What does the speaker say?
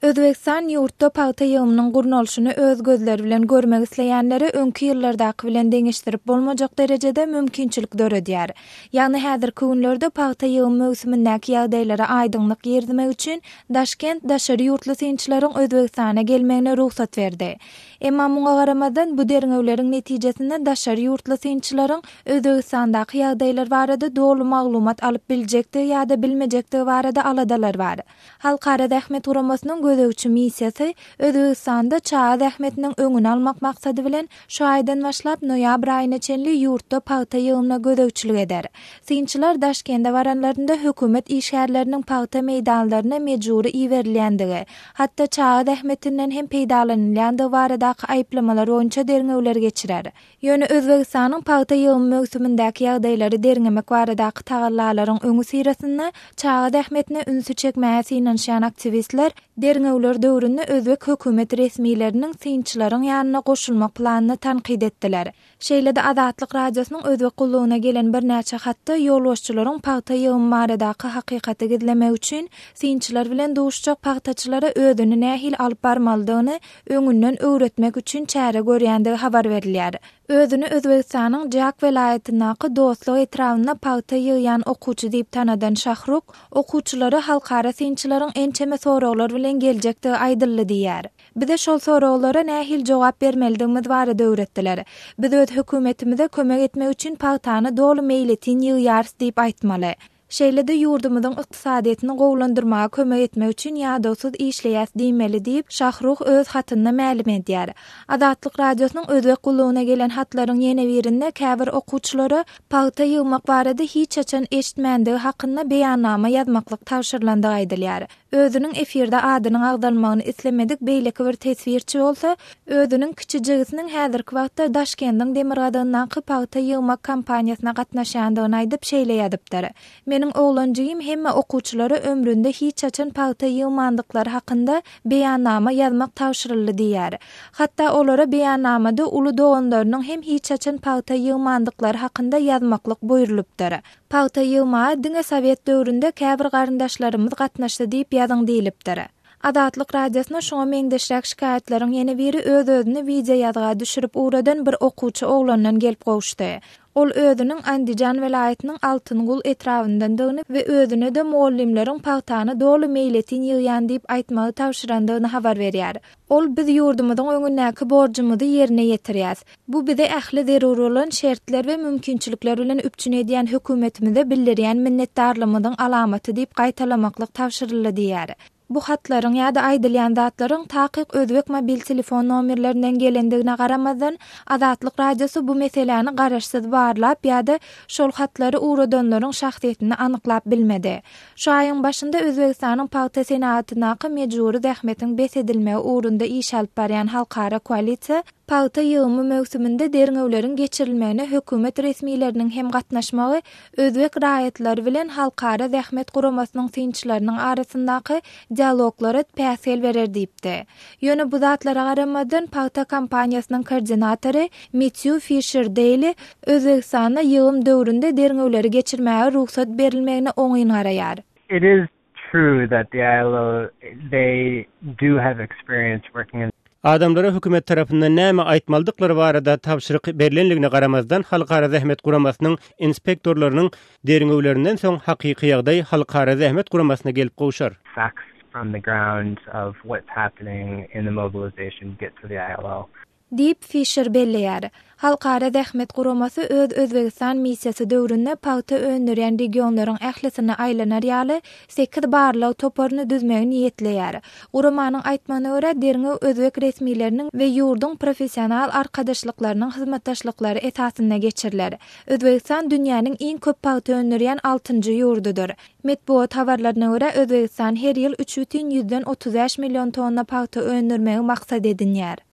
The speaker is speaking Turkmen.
Özbegistan ýurtda pagta ýygymynyň gurnalyşyny öz gözleri bilen görmek isleýänlere öňki ýyllardaky bilen deňeşdirip bolmajak derejede mümkinçilik döredýär. Ýagny häzirki günlerde pagta ýygym möwsümindäki ýagdaýlara aýdyňlyk girizmek üçin Daşkent daşary ýurtly synçylaryň Özbegistana gelmegine rugsat berdi. Emma muňa garamazdan, bu derňewleriň netijesinde daşary ýurtly synçylaryň Özbegistandaky ýagdaýlar barada doly maglumat alyp biljekdigi ýa-da bilmejekdigi barada aladalar bar. Halkara zähmet guramasynyň gözegçi missiýasy Özbegistanda çaga zähmetiniň öňüni almak maksady bilen, şu aýdan başlap noýabr aýyna çenli ýurtda pagta ýygymyna gözegçilik eder. Synçylar Daşkende baranlarynda hökümet işgärleriniň pagta meýdanlaryna mejbury iberilýändigi, hatda çaga zähmetinden hem peýdalanylýandygy baradaky aýyplamalar boýunça derňewler geçirer. Ýöne Özbegistanyň pagta ýygymy möwsümindäki ýagdaýlary derňemek baradaky tagallalaryň öňüsyrasynda çaga zähmetine ünsi çekmäge synanyşýan aktiwistler derňewler döwründe özbek hökümet resmileriniň synçylaryň ýanyna goşulmak planyny tankyt etdiler. Şeýle-de Azatlyk Radiosynyň Özbek gullugyna gelen birnäçe hatda ýolbaşçylaryň pagta ýygymy baradaky hakykaty gizlemek üçin synçylar bilen duşuşjak pagtaçylara özüni nähili alyp barmalydygyny öňünden öwretmek üçin çäre görýändigi habar berilýär. Özüni Özbegistanyň Jak welaýatyndaky Dostluk etrabynda pagta ýygýan okuwçy diýip tanadan Şahruk, okuwçylara halkara synçylaryň ençeme soraglar bilen geljekdigi aýdyldy diýýär. Bize şol soraglara nähili jogap bermelidigimiz barada öwretdiler. Biz öz hökümetimize kömek etmek üçin pagtany doly meýletin ýygýarys diýip aýtmaly. Şeýle-de ýurdumyzyň ykdysadyýetini gowulandyrmaga kömek etmek üçin ýadawsyz işleýäs diýmeli diýip, Şahruh öz hatynda mälim edýär. Azatlyk Radiosynyň Özbek gullugyna gelen hatlaryň ýene birinde käbir okuwçylara pagta ýygmak barada hiç haçan eşitmändigi hakynda beýannama ýazmaklyk tabşyrylandygy aýdylýar. Özüniň efirde adynyň agzalmagyny islemedik beýleki bir teswirçi bolsa, özüniň kiçi jigisiniň häzirki wagtda Daşkendiň demirgazygyndaky pagta ýygmak kampaniýasyna gatnaşýandygyny aýdyp şeýle ýazypdyr, Meniň oglan jigim hemme okuwçylara ömründe hiç haçan pagta ýygmandyklary hakynda beýannama ýazmak tabşyryldy diýýär. Hatda olara beýannamada uly doganlarynyň hem hiç haçan pagta ýygmandyklary hakynda ýazmaklyk buýrulypdyr. Pagta ýygmaga diňe sowet döwründe käbir garyndaşlarymyz gatnaşdy diýip ýazyň diýlipdir. Azatlyk Radiosyna şuňa meňzeşräk şikaýatlaryň ýene biri öz-özüni wideoýazga düşürip ugradan bir okuwçy oglandan gelip gowuşdy. Ol özüniň Andijan welaýatynyň Altyngul etrabyndandygyny we özüne-de mugallymlaryň pagtany doly meýletin ýygýan diýip aýtmagy tabşyrandygyny habar berýär. Ol biz ýurdumyzyň öňündäki borjumyzy ýerine ýetirýäs. Bu bizi ähli zerur bolan şertler we mümkinçilikler bilen üpjün edýän hökümetimize bildirýän minnetdarlygymyzyň alamaty diýip gaýtalamaklyk tabşyryldy diýýär. Bu hatlaryň ýa-da aýdylýan zatlaryň takyk özbek mobil telefon nomerlerinden gelendigine garamazdan, Azatlyk Radiosy bu meseläni garaşsyz barlap ýa-da şol hatlary ugradanlaryň şahsyýetini anyklap bilmedi. Şu aýyň başynda Özbegistanyň pagta senagatyndaky mejbury zähmetiň bes edilmegi ugrunda iş alyp barýan halkara koalisiýa pagta ýygymy möwsüminde derňewleriň geçirilmegine hökümet resmileriniň hem gatnaşmagy özbek raýatlary bilen Halkara zähmet guramasynyň synçylarynyň arasyndaky dialoglara päsgel berer diýipdi. Ýöne bu zatlara garamazdan, pagta kampaniýasynyň koordinatory Metýu Fişer-Deýli Özbegistanda ýygym döwründe derňewleri geçirmäge rugsat berilmegine oňyn garaýar. It is true that the ILO they do have experience working in. Adamlara hökümet tarapyndan näme aýtmalydyklary barada tabşyryk berlenligine garamazdan, Halkara zähmet guramasynyň inspektorlarynyň derňewlerinden soň hakyky ýagdaý Halkara zähmet guramasyna gelip gowşar. Facts from the ground of what's happening in the mobilization get to the ILO. Diýip, Fişer belleýär. Halkara zähmet guramasy öz Özbegistan missiýasy döwründe pagta öndürýän regionlaryň ählisine aýlanar ýaly sekiz barlag toparyny düzmegi niýetleýär. Guramanyň aýtmagyna görä, derňew özbek resmileriniň we ýurduň professional arkadaşlyklarynyň hyzmatdaşlyklary esasynda geçiriler. Özbegistan dünýäniň iň köp pagta öndürýän altynjy ýurdudyr. Metbugat habarlaryna görä, Özbegistan her ýyl 3,35 million tonna pagta öndürmegi maksat edinýär.